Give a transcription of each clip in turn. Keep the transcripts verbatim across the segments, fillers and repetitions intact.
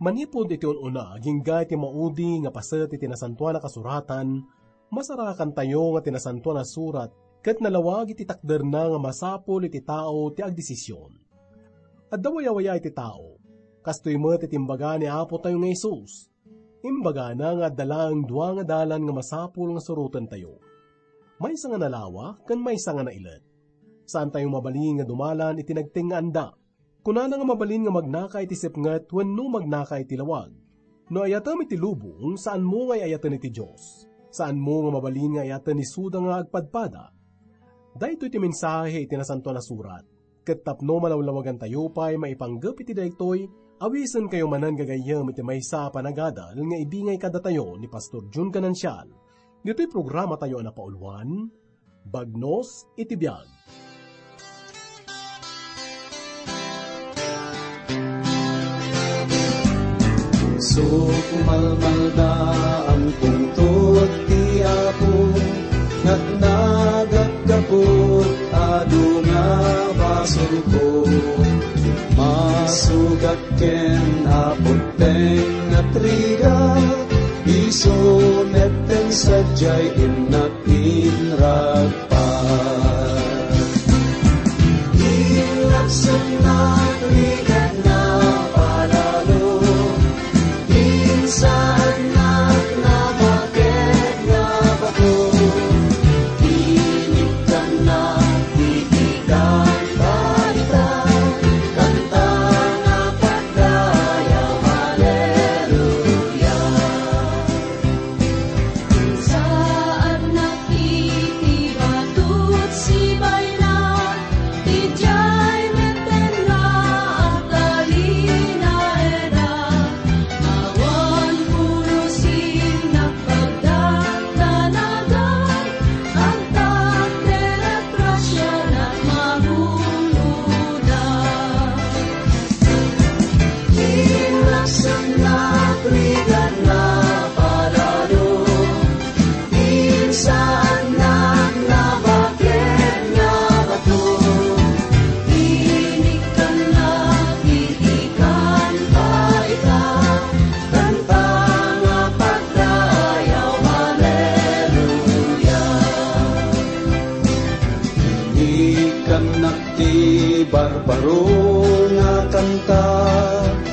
Manipud iti un-una, agingga iti maudi nga paset iti Nasantoan a Kasuratan, masarakantayo nga ti Nasantoan a Surat ket nalawag iti takderna nga masapul iti tao ti agdesision. Adda wayawaya iti tao. Kastoy met iti imbaga ni Apotayo nga Jesus. Imbagana nga adda laeng dua nga dalan nga masapul nga surotentayo. Maysa nga nalawa ken maysa nga nailet. Saantayo mabalin nga dumalan iti nagtengngaanda. Kunana nga mabalin nga magnaka iti sepnget wenno magnaka iti lawag. No ayatem iti lubong, saanmo nga ay-ayaten iti Dios. Saanmo nga mabalin nga ayaten isuda nga agpadpada. Daytoy ti mensahe iti Nasantoan a Surat. Ket tapno malawlawagantayo pay maipanggep iti daytoy, awisenkayo manen gagayyem iti maysa a panagadal nga ibingay kadatayo ni Pastor Jun Ganancial. Ditoy programatayo a napauluan, Bagnos iti Biag. Isu kumalmalda, ampongto ti Apo, natnagak gapu ta adu nga basolko. Masugat ken Apo ti tengnga nga trigat, isu met ti sadiay innak inragpat. Inlapsutnak rigat nga palalo, insaannak nga baket nga bato, inikkannak iti kanta ita, kanta nga pagdayaw, Haleluya. Insaannak iti batot sibayna, idiay metten nga agtalinaeda. Awan pulos innak pagdakdanagan, agtakder a grasianak maguloda. Inlapsutnak rigat nga palalo, insaannak nga baket nga bato, inikkannak iti kanta ita, kanta nga pagdayaw, Haleluya. Inikkannak ti barbaro nga kanta,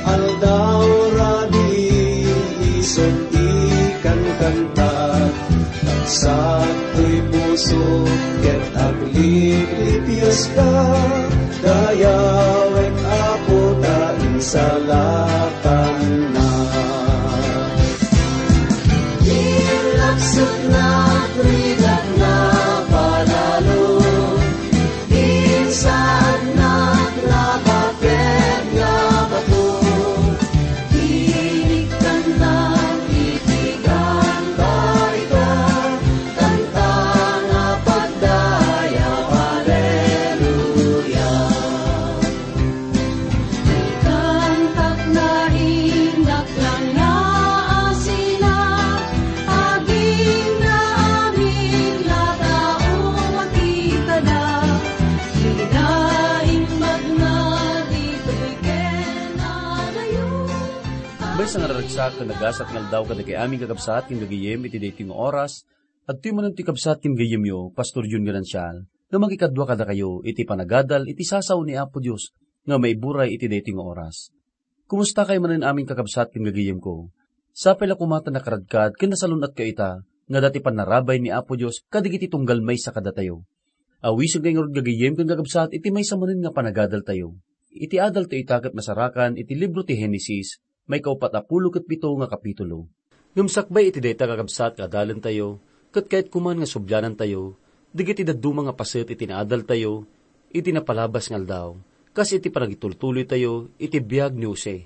aldaw rabii isut' ikankanta. Nagsaktoy pusok ket agliplipieska, dayawek Apo ta insalakannak. Inlapsutnak rigat nga palalo, insaannak nga baket nga bato, inikkannak iti kanta ita, kanta nga pagdayaw, Haleluya. Ikantak na innak lang nga asina, aging naamin nga tao makita da. Ida imbag na ditoy ken adayo. Maysa nga naragsak ken nagasat nga aldaw kadagiti amin kakabsat ken gagayem iti daytoy nga oras. Adtoy manen ti kabsat ken gayyemyo, Pastor Jun Ganancial, nga mangikadua kadakayo iti panagadal iti sasao ni Apo Dios nga maiburay iti daytoy nga oras. Kumustakayo manen amin kakabsat ken gagayyemko? Sapay la koma ta nakaradkad ken nasalun-atkayo ita nga adda ti pannarabay ni Apo Dios kadagiti tunggal maysa kadatayo. Awisenkayo ngarud gagayyem ken kakabsat iti maysa manen nga panagadaltayo. Iti adaltayo ita ket masarakan iti libro ti Genesis, maikaupat a pulo ket pito nga kapitulo. Ngem sakbay iti dayta, kakabsat, nga adalentayo, ket kayat koman nga sublianantayo dagiti dadduma nga paset iti naadaltayo iti napalabas nga aldaw, kas iti panagitultuloytayo iti biag ni Jose.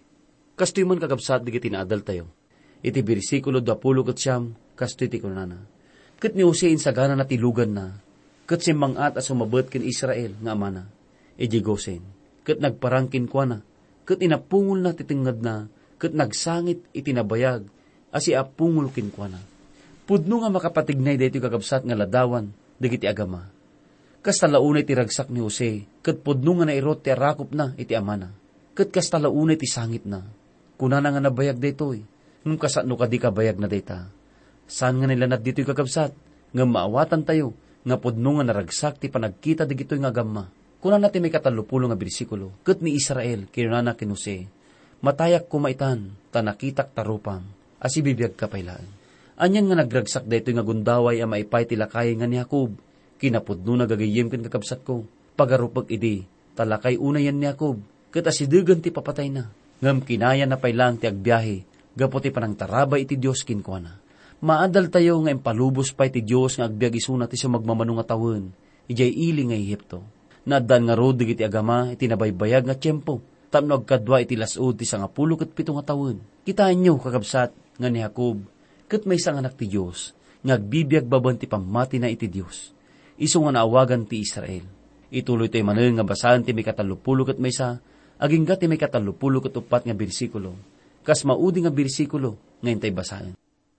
Kastoy man, kakabsat, dagiti naadaltayo. Iti bersikulo duapulo ket siam, kastoy ti kunana, "Ket ni Jose insaganana ti luganna, ket simmang-at a sumabet ken Israel nga amana, idiay Gosen, ket nagparang kenkuana, ket inapungolna ti tengngedna, ket nagsangit iti nabayag a siapungol kenkuana." Pudno nga makapatignay daytoy, kakabsat, nga ladawan dagiti agama. Kasta la unay ti ragsak ni Jose, ket pudno nga nairut ti arakupna iti amana, ket kasta la unay ti sangitna. Kunana nga nabayag daytoy, ngem kasano kadi kabayagna dayta? Saan nga nailanad ditoy, kakabsat, ngem maawatantayo nga pudno nga naragsak ti panagkita dagitoy nga agamma. Kunana ti maikatallopulo nga bersikulo, "Ket ni Israel kinunana ken Jose, 'Matayak koma itan, ta nakitak ta rupam, a sibibiagka pay laeng.'" Anian nga nagragsak daytoy nga gundaway a maipay ti lakay nga ni Jacob? Kinapudnona, gagayyem ken kakabsatko, pagarupek idi, ta lakay unayen ni Jacob, ket asidegen ti papatayna. Ngem kinayana pay laeng ti agbiahe gapu ti panangtarabay iti Dios kenkuana. Maadaltayo nga impalubos pay ti Dios nga agbiag isuna ti sumagmamano nga tawen idiay ili nga Egipto. Naaddaan ngarud dagiti agama iti nabaybayag nga tiempo tapno agkadua iti las-ud ti sangapulo ket pito nga tawen. Kitaenyo, kakabsat, nga ni Jacob ket maysa nga anak ti Dios nga agbibiag babaen ti pammatina iti Dios. Isu nga naawagan ti Israel. Ituloytayo manen nga basaen ti maikatallopulo ket maysa agingga ti maikatallopulo ket uppat nga bersikulo. Kas maudi nga bersikulo nga intay basaen.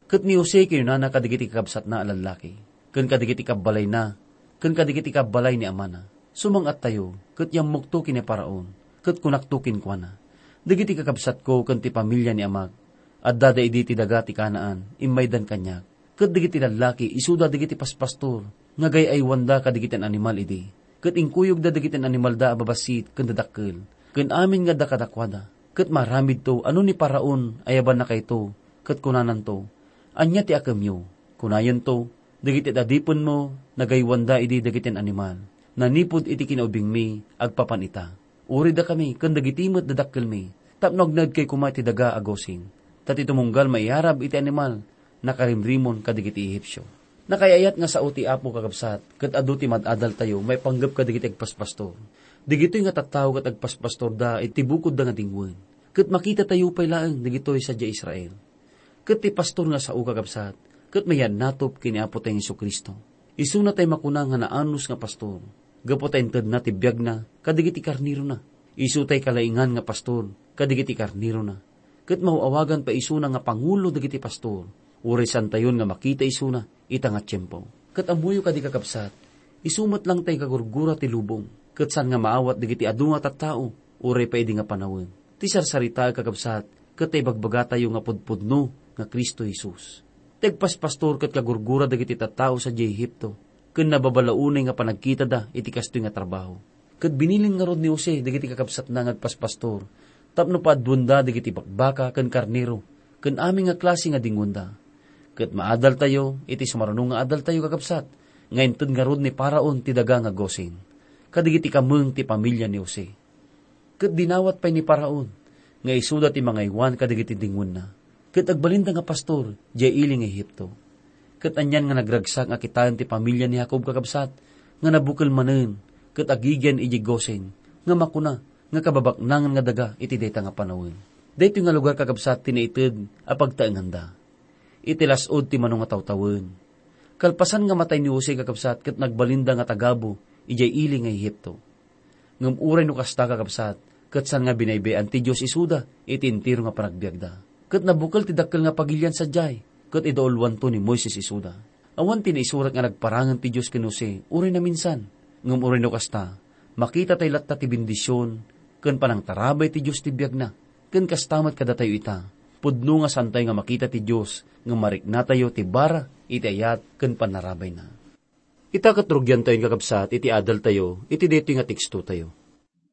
Ket ni Jose kinunana kadagiti kakabsatna a lallaki, ken kadagiti kabbalayna, ken kadagiti kabbalay ni amana, "Sumang-attayo, ket yammokto ken ni Faraon, ket kunakto kenkuana, 'Dagiti kakabsatko ken ti pamilia ni amak, addada idi ti daga ti Canaan, immaydan kaniak.'" Ket dagiti lallaki isuda dagiti paspastor nga agay-aywanda kadagiti animal idi, ket inkuyogda dagiti animalda a babassit ken dadakkel, ken amin nga adda kadakuada. Ket maaramidto a no ni Faraon ayabannakayto, ket kunananto, "Ania ti akemyo?" Kunayonto, "Dagiti adipenmo nagaywanda idi dagiti animal, nanipud iti kinaubingmi agpapan ita. Uray dakami ken dagiti met dadakkelmi, tapno agnaedkay koma iti daga a Gosen, ta ti tumunggal maiyarab iti animal nakarimrimon kadagiti Ehipsio." Nakaay-ayat nga sao ti Apo, kakabsat, ket adu ti mad-adaltayo maipanggep kadagiti agpaspastor. Dagitoy nga tattao ket agpaspastorda iti bukodda nga dingwen. Ket makitatayo pay laeng dagitoy sadiay Israel. Ket ti pastor nga sao, kakabsat, ket mayannatop ken ni Apo tay Jesu-Cristo. Isuna tay makuna nga naanus nga pastor, gapu ta intedna ti biagna kadagiti karnerona. Isu tay kalaingan nga pastor kadagiti karnerona. Ket maaw-awagan pay isuna nga pangulo dagiti pastor, uray saantayon nga makita isuna ita nga tiempo. Ket ammoyo kadi, kakabsat, isu met lang tay kagurgura ti lubong, ket saan nga maawat dagiti adu nga tattao, uray pay idi nga panawen. Ti sarsaritaek, kakabsat, ket ta ibagbagatayo nga pudpudno nga Cristo Jesus. Ti agpaspastor ket kagurgura dagiti tattao sadiay Egipto, ken nababalaw unay nga panagkitada iti kastoy nga trabaho. Ket binilin ngarud ni Jose dagiti kakabsatna nga agpaspastor tapno paaduenda dagiti bakbaka ken karnero ken amin nga klase nga dingwenda. Ket maadaltayo iti sumaruno nga adaltayo, kakabsat, nga inted ngarud ni Faraon ti daga nga Gosen kadagiti kameng ti pamilia ni Jose. Ket dinawat pay ni Faraon nga isuda ti mangaywan kadagiti dingwenna, ket agbalinda nga pastor diay ili nga Egipto. Ket anian nga nagragsak nga kitaen ti pamilia ni Jacob, kakabsat, nga nabukel manen ket agigian idiay Gosen, nga makuna nga kababaknangan nga daga iti dayta nga panawen. Daytoy nga lugar, kakabsat, ti naited a pagtaenganda. Iti las-ud ti mano nga tawtawen, kalpasan nga matay ni Jose, kakabsat, ket nagbalinda nga tagabu idiay ili nga Egipto. Ngem uray no kasta, kakabsat, ket saan nga binaybay-an ti Dios isuda iti entero nga panagbiagda. Ket nabukel ti dakkel nga pagilian sadiay, ket idaulwanto ni Moises isuda. Awan ti naisurat nga nagparangen ti Dios ken Jose uray naminsan. Ngem uray no kasta, makita tay latta ti bendision ken panangtarabay ti Dios ti biagna. Ken kasta met kadatayo ita, pudno nga saantayo nga makita ti Dios ngem mariknatayo ti bara iti ayat ken pannarabayna. Ita ket rugiantayon, kakabsat, iti adaltayo iti daytoy nga tekstotayo.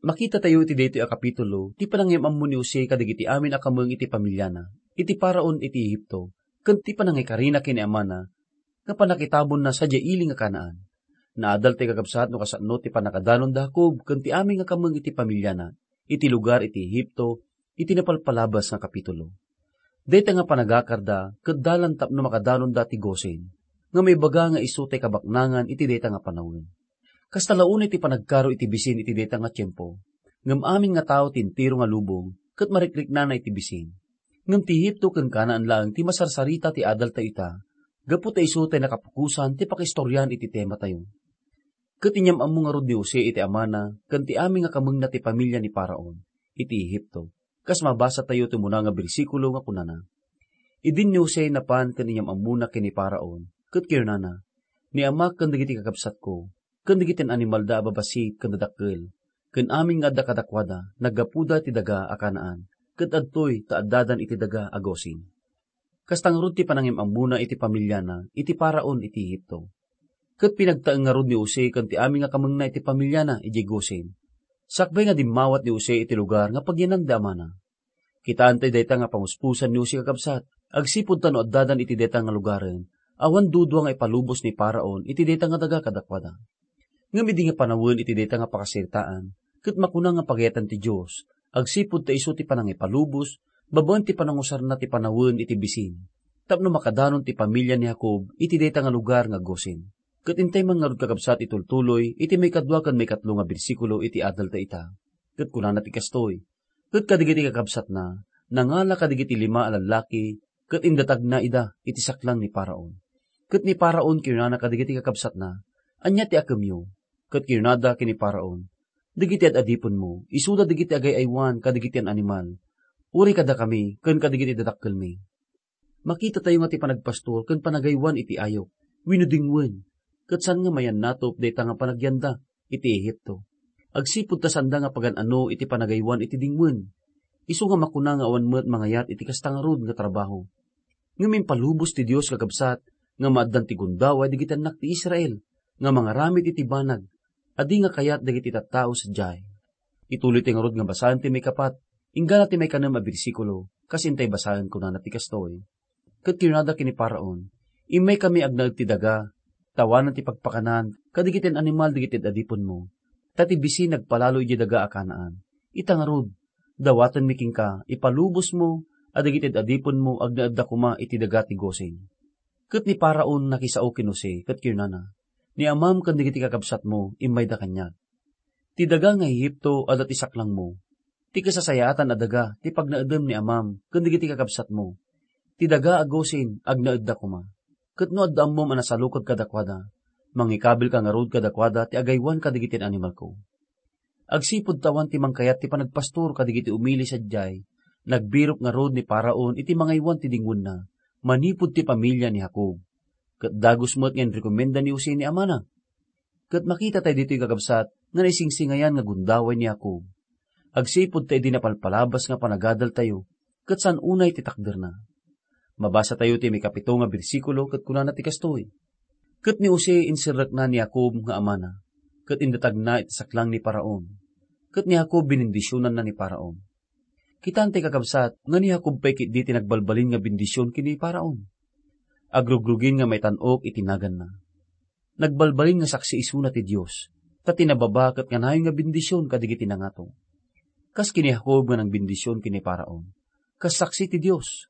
Makitatayo iti daytoy a kapitulo ti panangiyam-ammo ni Jose kadagiti amin a kameng iti pamiliana, iti Faraon iti Egipto, ken ti panangikarina ken ni amana nga pannakitabonna sadiay ili nga Canaan. Naadaltayo, kakabsat, no kasano ti pannakadanon da Jacob ken ti amin nga kameng iti pamiliana iti lugar iti Egipto iti napalpalabas nga kapitulo. Dayta nga panagakarda ket dalan tapno makadanonda ti Gosen, nga maibaga nga isu tay kabaknangan iti dayta nga panawen. Kasta la unay ti panagkaro iti bisin iti dayta nga tiempo, ngem amin nga tao ti entero nga lubong ket marikriknana iti bisin. Ngem ti Egipto ken Canaan laeng ti masarsarita ti adaltayo ita, gapu ta isu tay nakapukosan ti pakiistorian iti tematayo. Ket inyam-ammo ngarud ni Jose iti amana ken ti amin nga kamengna ti pamilia ni Faraon iti Egipto, kas mabasatayo ti umuna nga bersikulo nga kunana, "Idin ni Jose napan ken inyam-ammona ken ni Faraon, ket kinunana, 'Ni amak ken dagiti kakabsatko, ken dagiti animalda a babassit ken dadakkel, ken amin nga adda kadakuada, naggapuda iti daga a Canaan, ket adtoy ta addadan iti daga a Gosen. Kasta ngarud ti panangim-ammona iti pamiliana iti Faraon iti Egipto. Ket pinagtaeng ngarud ni Jose ken ti amin nga kamengna iti pamiliana idiay Gosen. Sakbay nga dimmawat ni Jose iti lugar nga pagyanan da amana. Kitaen tayo dayta nga panguspusan ni Jose, kakabsat, agsipud ta no addadan iti dayta nga lugaren, awan dudua nga ipalubos ni Faraon iti dayta nga daga kadakuada. Ngem idi nga panawen iti dayta nga pakasaritaan, ket makuna nga pagayatan ti Dios, agsipud ta isu ti panangipalubos babaen ti panangusarna ti panawen iti bisin, tapno makadanon ti pamilia ni Jacob iti dayta nga lugar nga Gosen. Ket intay man ngarud, kakabsat, itultuloy iti maikadua ken maikatlo nga bersikulo iti adalta ita. Ket kunana ti kastoy, ket kadagiti kakabsatna, nangala kadagiti lima a lallaki, ket indatagna ida iti saklang ni Faraon. Ket ni Faraon kinunana kadagiti kakabsatna, "Ania ti akemyo?" Ket kinunada ken ni Faraon, "Dagiti ad-adipenmo, isuda dagiti agay-aywan kadagiti animal, uray kadakami ken kadagiti dadakkelmi." Makitatayo nga ti panagpastor ken panagaywan iti ayok wenno dingwen, ket saan nga mayannatop dayta nga panagyanda iti Egipto. Agsipud ta saanda nga pagan-ano iti panagaywan iti dingwen, isu nga makuna nga awan met mangayat iti kasta ngarud nga trabaho. Ngem impalubos ti Dios, kakabsat, nga maaddan ti gundaway dagiti annak ti Israel nga mangaramid iti banag a di nga kayat dagiti tattao sadiay. Ituloy ti ngarud nga basaen ti maikapat, inggana ti maikanem a bersikulo, kas intay basaen, kunana ti kastoy, ket kinunada ken ni Faraon, "Immaykami agnaed ti daga, ta awanen ti pagpakanan kadagiti animal dagiti ad-adipenmo, ta ti bisin nagpalalo idiay daga a Canaan. Ita ngarud, dawatenmi kenka, ipalubosmo a dagiti ad-adipenmo agnaedda koma iti daga ti Gosen." Ket ni Faraon nakisao ken Jose ket kinunana, "Ni amam ken dagiti kakabsatmo immayda kaniak. Ti daga nga Egipto adda ti saklangmo. Ti kasasayaatan a daga ti pagnaedem ni amam ken dagiti kakabsatmo. Ti daga a Gosen agnaedda koma. Ket no adda ammom a nasalukag kadakuada, mangikabilka ngarud kadakuada ti agaywan kadagiti animalko." Agsipud ta awan ti mangkayat ti panagpastor kadagiti umili sadiay, nagbirok ngarud ni Faraon iti mangaywan ti dingwenna manipud ti pamilia ni Jacob. Ket dagus met nga inrekomenda ni Jose ni amana. Ket makita tayo ditoy, kakabsat, nga naisingsingayan nga gundaway ni Jacob. Agsipud ta idi napalpalabas nga panagadal tayo, ket saan unay ti takderna. Mabasa tayo ti maikapito nga bersikulo ket kunana ti kastoy, "Ket ni Jose inserrekna ni Jacob nga amana, ket indatagna iti saklang ni Faraon. Ket ni Jacob binindisionanna ni Faraon." Kitaen tayo, kakabsat, nga ni Jacob pay ketdi ti nagbalbalin nga bendision ken ni Faraon. Agrugrugin nga maitan-ok iti naganna. Nagbalbalin nga saksi isuna ti Dios, ta ti nababa ket kanayon nga bendision kadagiti nangato. Kas ken ni Jacob nga nangbendision ken ni Faraon, kas saksi ti Dios.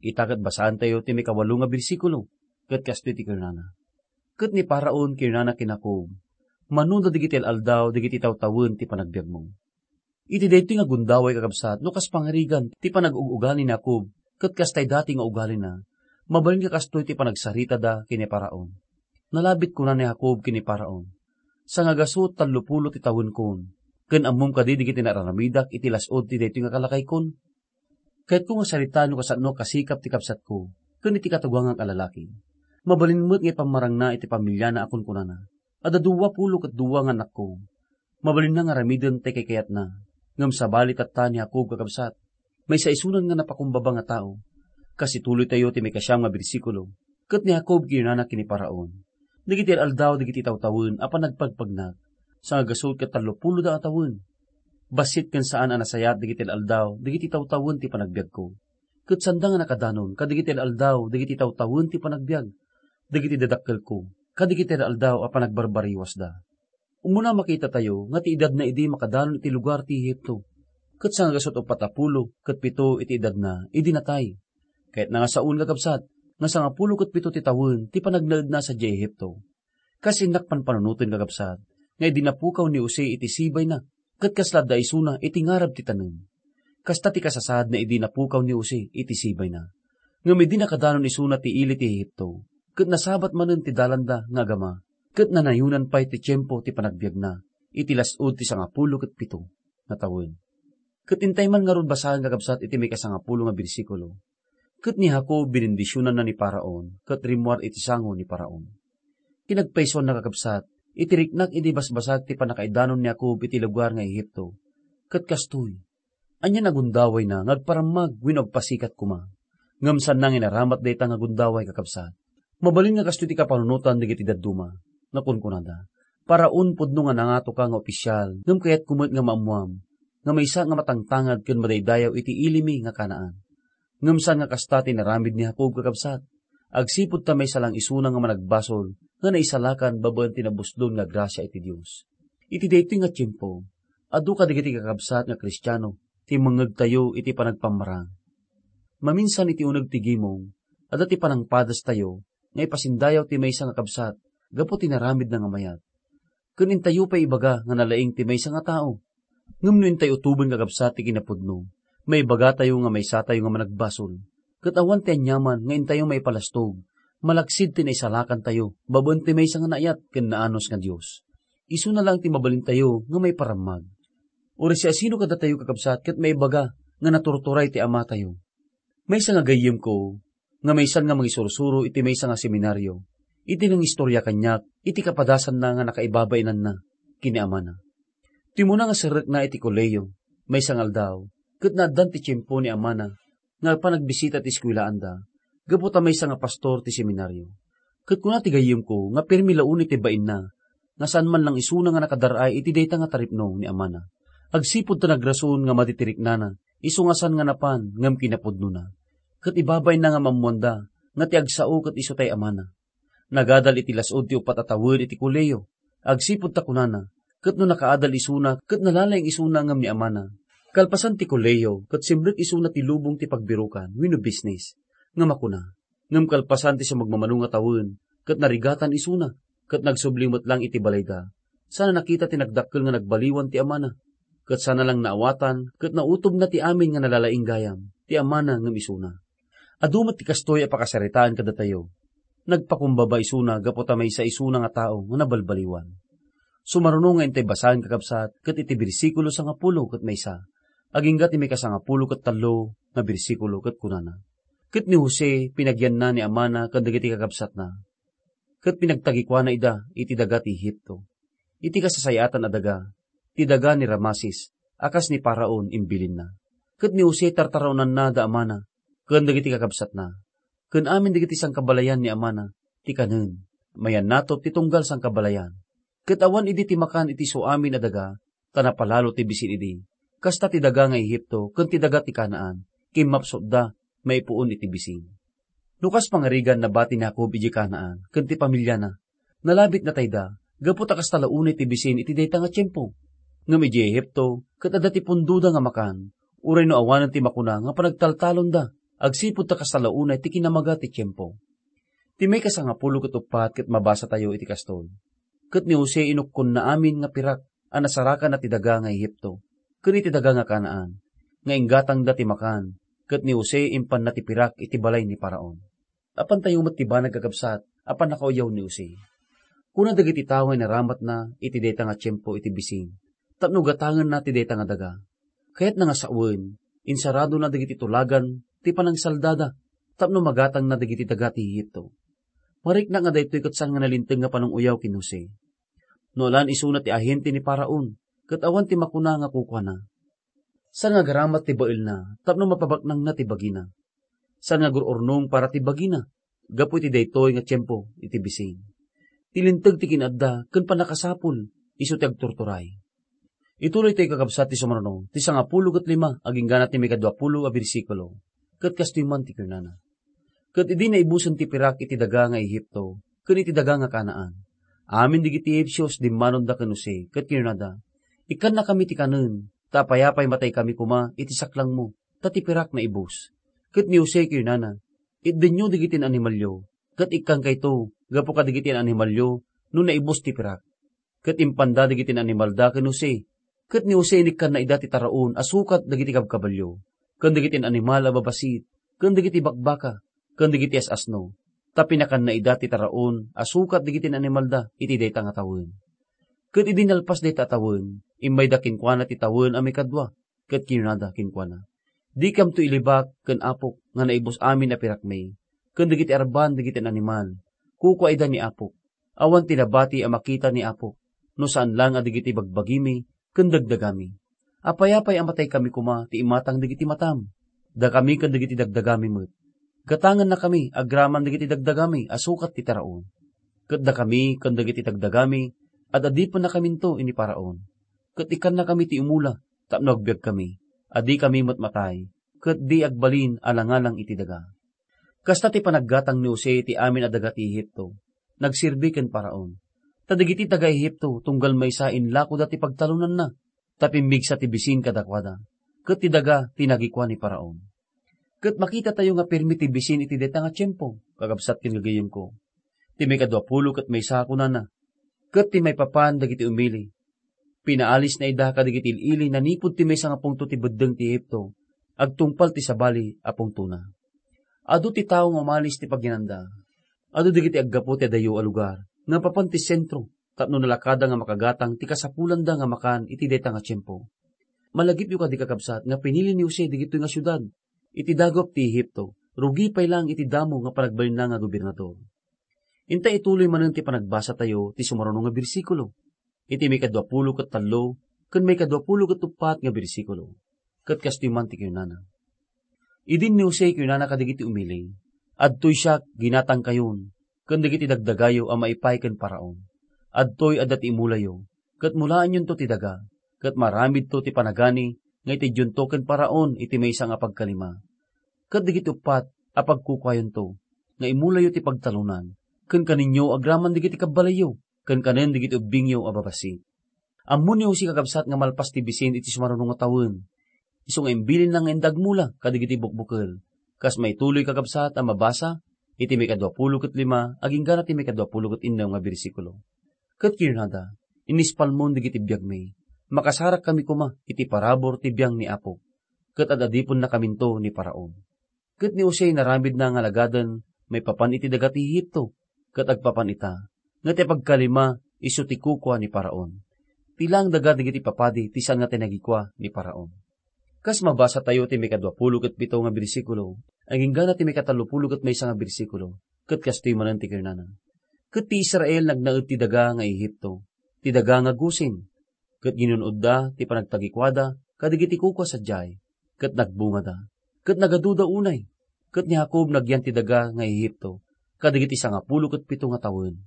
Ita ket basaentayo ti maikawalo nga bersikulo, ket kastoy ti kinunana, "Ket ni Faraon kinunana ken Jacob, 'Manoda dagiti al-aldaw dagiti tawtawen ti panagbiagmo.'" Iti daytoy nga gundaway, kakabsat, no kas pangarigan ti panag-ug-ugali ni Jacob, ket kastay dati nga ugalina, mabalin nga kastoy ti panagsaritada ken ni Faraon. Nalabit kuna ni Jacob ken ni Faraon, "Sangagasut tallopulo ti tawenkon, ken ammom kadi dagiti naar-aramidak iti las-ud ti daytoy nga kalakaykon? Kayatko nga saritaen no kasano a kasikap ti kabsatko ken iti katugangak a lalaki. Mabalin met nga ipammarangna iti pamiliana a kunkunana, 'Adda dua pulo ket dua nga annakko. Mabalinna nga aramiden ti kaykayatna.' Ngem sabali tatta ni Jacob, kakabsat, maysa isunan nga napakumbaba nga tao. Kas ituloytayo ti maikasiam nga bersikulo, "Ket ni Jacob kinunana ken ni Faraon, 'Dagiti al-aldaw dagiti tawtawen a panagpagpagnak, sangagasut ket tallopulo da a tawen. Bassit ken saan a nasayaat dagiti al-aldaw dagiti tawtawen ti panagbiagko. Ket saanda nga nakadanon kadagiti al-aldaw dagiti tawtawen ti panagbiag dagiti dadakkelko kadagiti al-aldaw a panagbarbariwasda.'" Umuna, makitatayo nga ti edadna idi makadanon iti lugar ti Egipto, ket sangagasut uppat a pulo ket pito iti edadna idi natay. Kayatna nga saoen, kakabsat, nga sangapulo ket pito ti tawen ti panagnaedna sadiay Egipto. Kas innak panpanunoten, kakabsat, nga idi napukaw ni Jose iti sibayna, ket kasla adda isuna iti ngarab ti tanem. Kasta ti kasasaadna idi napukaw ni Jose iti sibayna. Ngem idi nakadanon isuna ti ili ti Egipto, ket nasabat manen ti dalanda nga agama, ket nanayonan pay ti tiempo ti panagbiagna iti las-ud ti sangapulo ket pito nga tawen. Ket intay man ngarud basaen, kakabsat, iti maikasangapulo nga bersikulo, "Ket ni Jacob binindisionanna ni Faraon, ket rimmuar iti sango ni Faraon." Kinagpaysuanna, kakabsat, iti riknak idi basbasag ti pannakaidanon ni Jacob iti lugar nga Egipto. Ket kastoy, Ania nga gundawayna nga agparammag wenno agpasikat koma? Ngem saanna nga inaramat dayta nga gundaway, kakabsat. Mabalin nga kastoy ti kapanunotan dagiti dadduma nga kunkunada, "Paraon pudno nga nangatoka nga opisial, ngem kayatko met nga maammoam nga maysa nga matangtangad ken madaydayaw iti ilimi nga Canaan." Ngem saan nga kasta ti inaramid ni Jacob, kakabsat. Agsipud ta maysa lang isuna nga managbasol nga naisalakan babaen ti nabusdon nga grasia iti Dios. Iti daytoy nga tiempo, adu kadagiti kakabsat nga Kristiano ti mangngegtayo iti panagpammarang. Maminsan iti uneg ti gimong, adda ti panangpadastayo nga ipasindayaw ti maysa nga kabsat gapu ti naramidna nga mayat. Ken intayo pay ibaga nga nalaing ti maysa nga tao. Ngem no intayo utoben, kakabsat, ti kinapudno, maibagatayo nga maysatayo nga managbasol. Ket awan ti aniaman nga intayo maipalastog, malaksid ti naisalakantayo babaen ti maysa nga naayat ken naanus nga Dios. Isuna lang ti mabalintayo nga maiparammag. Uray siasino kadatayo, kakabsat, ket maibaga nga naturturay ti amatayo? Maysa nga gayyemko nga maysan nga mangisursuro iti maysa nga seminario, iti nangistoria kaniak iti kapadasanna nga nakaibabainanna ken ni amana. Timmuna nga serrekna iti kolehiyo, maysa nga aldaw, ket naaddan ti tiempo ni amana nga panagbisita ti eskuelaanda, gapu ta maysa nga pastor ti seminario. Ket kuna ti gayyemko nga pirmi la unay ti bainna, nga saan man lang isuna nga nakadar-ay iti dayta nga taripno ni amana. Agsipud ta nagrason nga madi ti riknana, isu nga saan nga napan ngem kinapudnona. Ket ibabainna nga maammoanda nga ti agsao ket isu tay amana. Nagadal iti las-ud ti uppat a tawen iti kolehiyo, agsipud ta kunana, ket no nakaadal isuna ket nalalaing isuna ngem ni amana. Kalpasan ti kolehiyo, ket simrek isuna ti lubong ti pagbirokan wenno bisnis nga makuna. Ngem kalpasan ti sumagmamano nga tawen, ket narigatan isuna, ket nagsubli met lang iti balayda. Sana nakita ti nagdakkel nga nagbaliwan ti amana, ket sana lang naawatan ket nautobna ti amin nga nalalaing gayam, ti amana ngem isuna. Adu met ti kastoy a pakasaritaan kadatayo. Nagpakumbaba isuna gapu ta maysa isuna nga tao nga nabalbaliwan. Sumaruno nga intay basaen, kakabsat, ket iti bersikulo sangapulo ket maysa, agingga ti maikasangapulo ket tallo nga bersikulo, ket kunana, "Ket ni Jose pinagyanna ni amana ken dagiti kakabsatna, ket pinagtagikuana ida iti daga ti Egipto, iti kasasay-atan a daga, ti daga ni Rameses, a kas ni Faraon imbilinna. Ket ni Jose tartaraonanna da amana ken dagiti kakabsatna, ken amin dagiti sangkabalayan ni amana ti kanen, mayannatop ti tunggal sangkabalayan. Ket awan idi ti makan iti su amin a daga, ta napalalo ti bisin idi. Kasta ti daga nga Egipto ken ti daga ti Canaan, kimmapsutda maipuon iti bisin." No kas pangarigan, nabati ni Jacob idiay Canaan ken ti pamiliana. Nalabit natayda, gapu ta kasta la unay ti bisin iti dayta nga tiempo. Ngem idiay Egipto, ket adda ti pundoda nga makan, uray no awanen ti makuna nga panagtaltalonda, agsipud ta kasta la unay ti kinamaga ti tiempo. Ti maikasangapulo ket uppat ket mabasatayo iti kastoy, "Ket ni Jose inukkonna amin nga pirak a nasarakanna ti daga nga Egipto ken iti daga nga Canaan, nga inggatangda ti makan, ket ni Jose impanna ti pirak iti balay ni Faraon." Apantayo met ti banag, kakabsat, a pannakauyaw ni Jose. Kuna dagiti tao nga inaramatna iti dayta nga tiempo iti bisin tapno gatangenna ti dayta nga daga. Kayatna nga sawen, insaradona dagiti tulagan ti panangsaldada tapno magatangna dagiti daga ti Egipto. Mariknak nga daytoy ket saan nga nalinteg nga pananguyaw ken Jose. No alan isuna ti ahente ni Faraon, ket awan ti makuna nga kukuana. Saan nga agaramat ti baelna tapno mapabaknangna ti bagina. Saan nga agur-urnong para ti bagina gapu iti daytoy nga tiempo iti bisin. Ti linteg ti kinaadda ken pannakasapul isu ti agturturay. Ituloytayo, kakabsat, ti sumaruno, ti sangapulo ket lima, aginggana ti maikaduapulo a bersikulo. Ket kastoy man ti kunana, "Ket idi naibusen ti pirak iti daga nga Egipto ken iti daga nga Canaan, amin dagiti Egipcio dimmanonda ken Jose ket kinunada, 'Ikkannakami ti kanen, ta apay-apay mataykami koma iti saklangmo, ta ti pirak naibus.' Ket ni Jose kinunana, 'Itdenyo dagiti animalyo, ket ikkankayto gapu kadagiti animalyo no naibus ti pirak.' Ket impanda dagiti animalda ken Jose, ket ni Jose inikkanna ida ti taraon a sukat dagiti kabkabalio, ken dagiti animal a babassit, ken dagiti bakbaka, ken dagiti as-asno, ta pinakanna ida ti taraon a sukat dagiti animalda iti dayta nga tawen. Ket idi nalpas dayta a tawen, immayda kenkuana ti tawen a maikadua, ket kinunada kenkuana, 'Dikamto ilibak ken apok nga naibus amin a pirakmi, ken dagiti arban dagiti animal. Kukua ida ni apok. Awan ti nabati a makita ni apok, no saan lang a dagiti bagbagimi ken dagdagami.' Apay-apay a mataykami koma ti imatang dagiti matam. Dakami ken dagiti dagdagami met. Gatangennakami agraman dagiti dagdagami a sukat ti taraon. Ket dakami ken dagiti dagdagami, ad-adipennakaminto iti Faraon. Ket ikkannakami ti umula tapno agbiagkami, a dikami met matay, ket di agbalin a langalang iti daga. Kasta ti panaggatang ni Jose iti amin a daga ti Egipto. Nagserbi ken Faraon. Ta dagiti taga-Egipto, tunggal maysa, inlakoda ti pagtalonanna, ta pimmigsa ti bisin kadakuada, ket ti daga ti nagikua ni Faraon. Ket makitatayo nga pirmi ti bisin iti dayta nga tiempo, kakabsat ken gagayyemko. Ti maikadua pulo ket maysa kunana, ket ti maipapan dagiti umili, pinaalisna ida kadagiti il-ili nanipud ti maysa nga pungto ti beddeng ti Egipto, agtungpal ti sabali a pungtona. Adu ti tao nga umalis ti pagyananda. Adu dagiti aggapu ti adayo a lugar nga papan ti sentro tapno nalakada nga makagatang ti kasapulanda nga makan iti dayta nga tiempo. Malagipyo kadi, kakabsat, nga pinili ni Jose dagitoy nga siudad iti dagup ti Egipto, rugi pay laeng iti damo nga panagbalinna nga gobernador. Inta ituloy manen ti panagbasatayo ti sumaruno nga bersikulo, iti maikadua pulo ket tallo ken maikadua pulo ket uppat nga bersikulo. Ket kastoy man ti kinunana. Idin ni Jose kinunana kadagiti umili, "Adtoy siak, ginatangkayon, ken dagiti dagdagayo a maipay ken Faraon. Adtoy adda ti imulayo, ket mulaenyonto ti daga, ket maramidto ti panagani nga itedyonto ken Faraon iti maysa nga pagkalima. Ket dagiti uppat a pagkukuayonto nga imulayo ti pagtalonan, ken kaninyo agraman dagiti kabbalayyo, ken kanen dagiti ubbingyo a babassit." Ammo ni Jose, kakabsat, nga malpas ti bisin iti sumaruno nga tawen, isu nga imbilinna nga inda agmula kadagiti bukbukel. Kas maituloy, kakabsat, a mabasa iti maikadua pulo ket lima agingga ti maikadua pulo ket innem nga bersikulo. Ket kinunada, "Inispalmon dagiti biagmi. Makasarakkami koma iti parabur ti biang ni Apo, ket ad-adipennakaminto ni Faraon." Ket ni Jose, naramidna nga alagaden maipapan iti daga ti Egipto, ket agpapan ita, nga ti pagkalima isu ti kukua ni Faraon. Ti laeng daga dagiti papadi ti saan nga tinagikua ni Faraon. Kas mabasatayo ti maikadua pulo ket pito nga bersikulo, agingga ti maikatallo pulo ket maysa nga bersikulo, ket kastoy manen ti kinunana, "Ket ti Israel nagnaed ti daga nga Egipto, ti daga nga Gosen, ket ginun-odda ti panagtagikuada kadagiti kukua sadiay, ket nagbungada, ket nagaduda unay, ket ni Jacob nagyan ti daga nga Egipto kadagiti sangapulo ket pito nga tawen.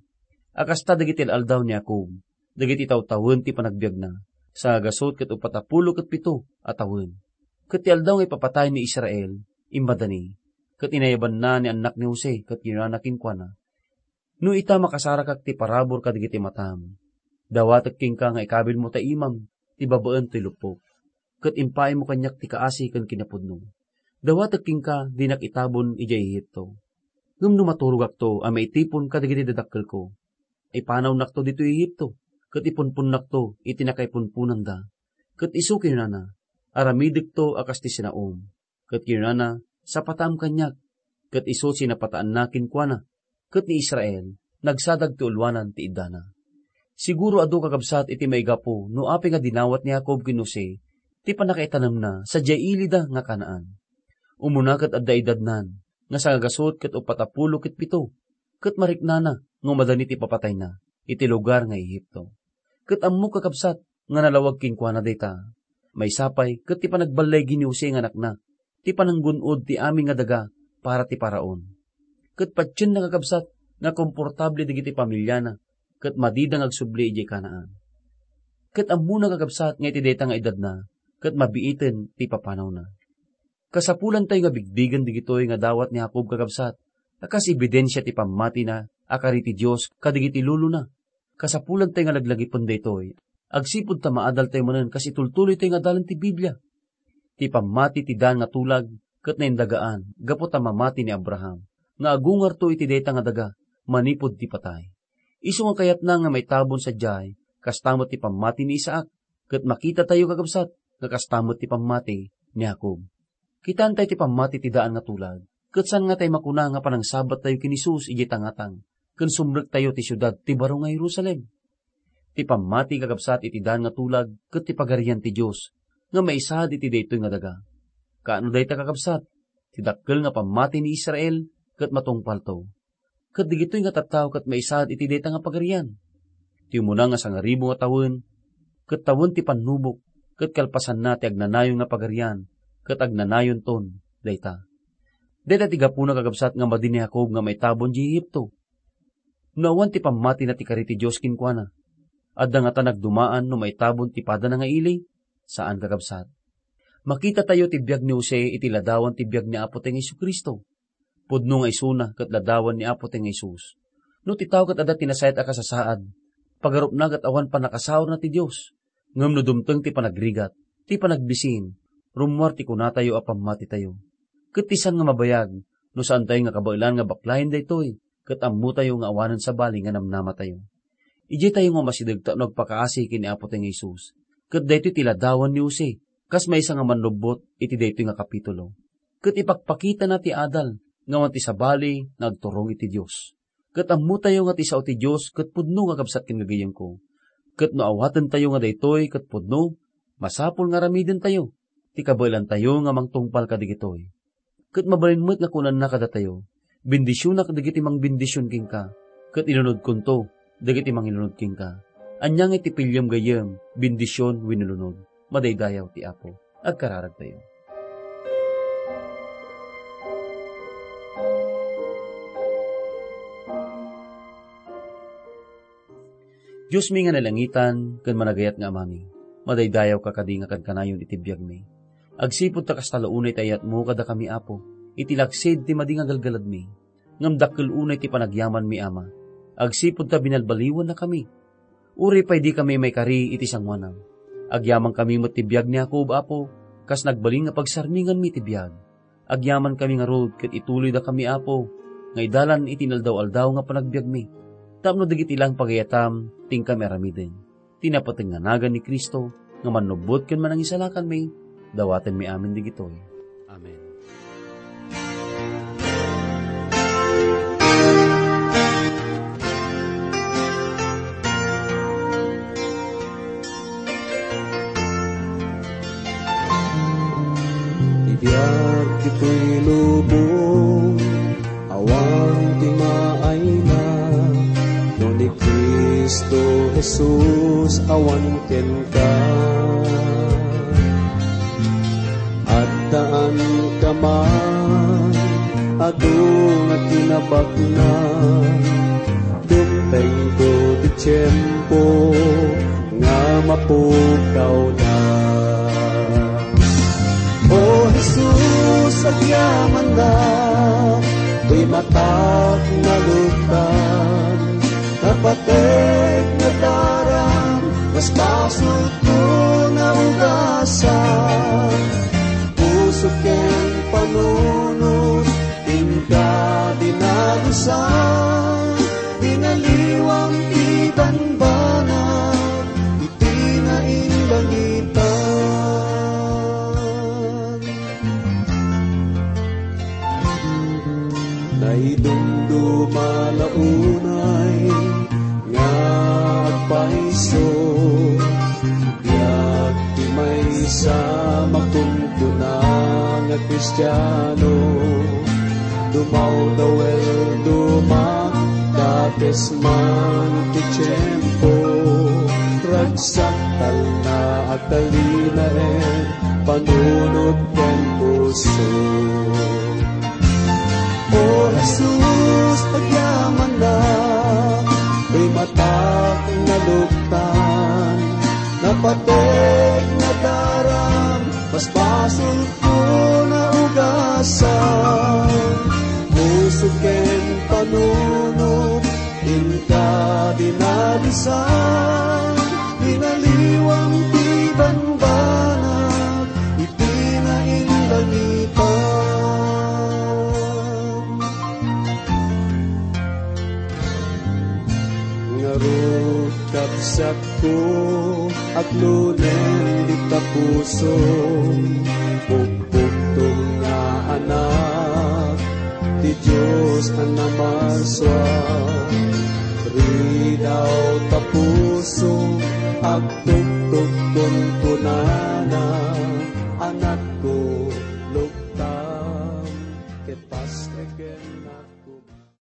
A kasta dagiti al-aldaw ni Jacob, dagiti tawtawen ti panagbiagna, sangagasut ket uppat a pulo ket pito a tawen. Ket ti aldaw nga ipapatay ni Israel, immadani, ket inayabanna ni annak ni Jose, ket kinunana kenkuana, 'No ita, makasarakak ti parabur kadagiti matam. Dawatek kenka nga ikabilmo ta imam ti babaen toy luppok, ket impaaymo kaniak ti kaasi ken kinapudno. Dawatek kenka dinak itabon idiay Egipto. Ngem no maturogakto a maitipon kadagiti dadakkelko, ipanawnakto ditoy Egipto, ket ipunponnakto iti nakaipunponanda.' Ket isu kinunana, 'Aramidekto a kas ti sinaom.' Ket kinunana, 'Sapatam kaniak.' Ket isu sinapataanna kenkuana, ket ni Israel nagsadag ti ulwanan ti iddana. Siguro adu, kakabsat, iti maigapu no apay nga dinawat ni Jacob ken Jose ti pannakaitanemna sadiay ilida nga Canaan. Umuna ket adda idadnan nga sangagasut ket uppat a pulo ket pito, ket mariknana nga umadani ti papatayna iti lugar nga Egipto. Ket ammok, kakabsat, nga nalawag kenkuana dayta. Maysa pay ket ti panagballigi ni Jose nga anakna ti pananggun-od ti amin nga daga para ti Faraon. Ket patienna, kakabsat, nga komportable dagiti pamiliana ket madida nga agsubli idiay Canaan. Ket ammona, kakabsat, nga iti dayta nga edadna ket mabiiten ti papanawna. Kasapulantayo nga bigbigen dagitoy nga dawat ni Jacob, kakabsat, a kas ebidensia ti pammatina a kari ti Dios kadagiti lulona. Kasapulantayo nga laglagipen daytoy agsipud ta maadaltayo manen kas itultuloytayo nga adalan ti Biblia. Ti pammati ti daan nga tulag ket naindagaan gapu ta mamati ni Abraham nga agungarto iti dayta nga daga manipud ti patay. Isu nga kayatna nga maitabon sadiay, kasta met ti pammati ni Isaac, ket makitatayo, kakabsat, nga kasta met ti pammati ni Jacob. Kitaentayo ti pammati ti daan nga tulag, ket saan nga tay makuna nga panangsabattayo ken Jesus idiay tangatang, ken sumrektayo ti siudad ti baro nga Jerusalem. Ti pammati, kakabsat, iti daan nga tulag ket ti Pagarian ti Dios nga maisaad iti daytoy nga daga. Kaano dayta, kakabsat? Ti dakkel nga pammati ni Israel ket matungpalto. Ket dagitoy nga tattao ket maisaad iti dayta nga pagarian. Ti umuna nga sangaribu nga tawen, ket tawen ti pannubok, ket kalpasanna ti agnanayon nga pagarian, ket agnanayonton dayta. Dayta ti gapuna, kakabsat, nga madi ni Jacob nga maitabon idiay Egipto. No awan ti pammatina ti kari ti Dios kenkuana, adda ngata nagdumaan no maitabon ti padana nga ili? Saan, kakabsat. Makitatayo ti biag ni Jose iti ladawan ti biag ni Apo tayo nga Jesu-Cristo. Pudno nga isuna ket ladawan ni Apo tayo nga Jesus. No ti tao ket adda ti nasayaat a kasasaad, pagarupna ket awan pannakasaurna ti Dios. Ngem no dumteng ti panagrigat, ti panagbisin, rummuar ti kunatayo a pammatitayo. Ket ti saan nga mabayag, no saantayo nga kabaelan nga baklayen daytoy, ket ammotayo nga awanen sabali nga namnamatayo. Idiay tayo nga umasideg tapno agpakaasi ken ni Apo tayo nga Jesus. Ket daytoy ti ladawan ni Jose, kas maysa nga mannubbot iti daytoy nga kapitulo. Ket ipakpakitana ti adal nga awan ti sabali nga agturong iti Dios. Ket ammotayo nga ti sao ti Dios ket pudno nga kabsat ken gagayyemko. Ket no awatentayo nga daytoy ket pudno, masapul nga aramidentayo ti kabaelantayo nga mangtungpal kadagitoy. Ket mabalin met nga kunana kadatayo, "Bendisionak dagiti mangbendision kenka, ket ilunodkonto dagiti mangilunod kenka." Ania ngay ti piliem gayyem, bendision wenno lunod? Madaydayaw ti Apo. Agkararagtayo. Diosmi nga nailangitan ken managayat nga Amami, madaydayawka kadi nga kankanayon iti biagmi. Agsipud ta kasta la unay ti ayatmo kadakami, Apo, iti laksid ti madi nga galgaladmi. Ngem dakkel unay ti panagyamanmi, Ama. Agsipud ta binalbaliwannakami. Uray pay dikami maikari iti sangoanam, agyamankami met ti biag ni Jacob, Apo, kas nagbalin nga pagsarminganmi ti biag. Agyamankami ngarud ket ituloydakami, Apo, nga idalan iti inaldaw-aldaw nga panagbiagmi, tapno dagiti laeng pagayatam ti inkami aramiden. Ti napateg nga nagan ni Cristo nga mannubbot ken manangisalakanmi, dawatenmi amin dagitoy. Amen. Ti biag ditoy lubong, awan ti maayna, no ni Cristo Jesus awan kenka. Addaanka man, adu nga kinabaknang, dumtengto ti tiempo nga mapukawda. O Jesus, agyamanak, dimatak naluktan, napatek nadaram, mas basolko naugasan. Puso ken panunot, inka dinalusan, dinaliwam ti banbanag iti nainlangitan. Naidumduma la unay nga agpayso, biag ti maysa makunkuna nga Kristiano. Dumawdaw el dumakdakes man ti tiempo, ragsak talna agtalinaen panunot ken puso. O Jesus, agyamanak, dimatak naluktan, napatek nadaram, mas basolko naugasan. Puso ken panunot, inka dinalusan, dinaliwam ti banbanag iti nainlangitan. Ngarud, kabsatko, aglunen dita puso, pukpukto nga anak ti Dios a namasua. Ridaw ta puso, agtuktok kunkunana, anakko, luktam ket pastreken.